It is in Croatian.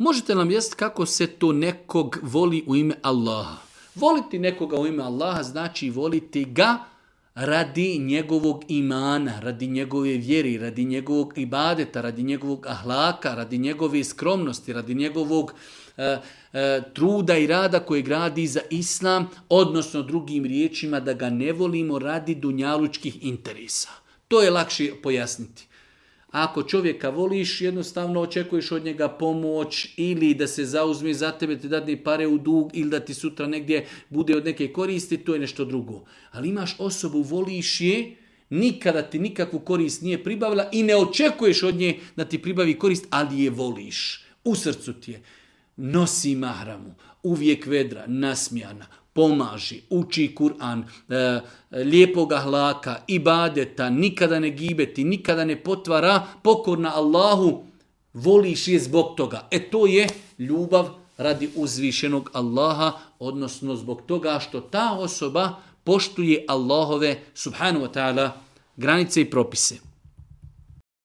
Možete nam jasniti kako se to nekog voli u ime Allaha? Voliti nekoga u ime Allaha znači voliti ga radi njegovog imana, radi njegove vjeri, radi njegovog ibadeta, radi njegovog ahlaka, radi njegove skromnosti, radi njegovog truda i rada koji gradi za islam, odnosno drugim riječima da ga ne volimo radi dunjalučkih interesa. To je lakše pojasniti. Ako čovjeka voliš, jednostavno očekuješ od njega pomoć ili da se zauzme za tebe, ti dadne pare u dug ili da ti sutra negdje bude od neke koristi, to je nešto drugo. Ali imaš osobu, voliš je, nikada ti nikakvu korist nije pribavila i ne očekuješ od nje da ti pribavi korist, ali je voliš. U srcu ti je. Nosi mahramu, uvijek vedra, nasmijana, pomaži, uči Kur'an, lijepog ahlaka, ibadeta, nikada ne gibeti, nikada ne potvara, pokorna Allahu, voliš je zbog toga. To je ljubav radi uzvišenog Allaha, odnosno zbog toga što ta osoba poštuje Allahove subhanahu wa ta'ala granice i propise.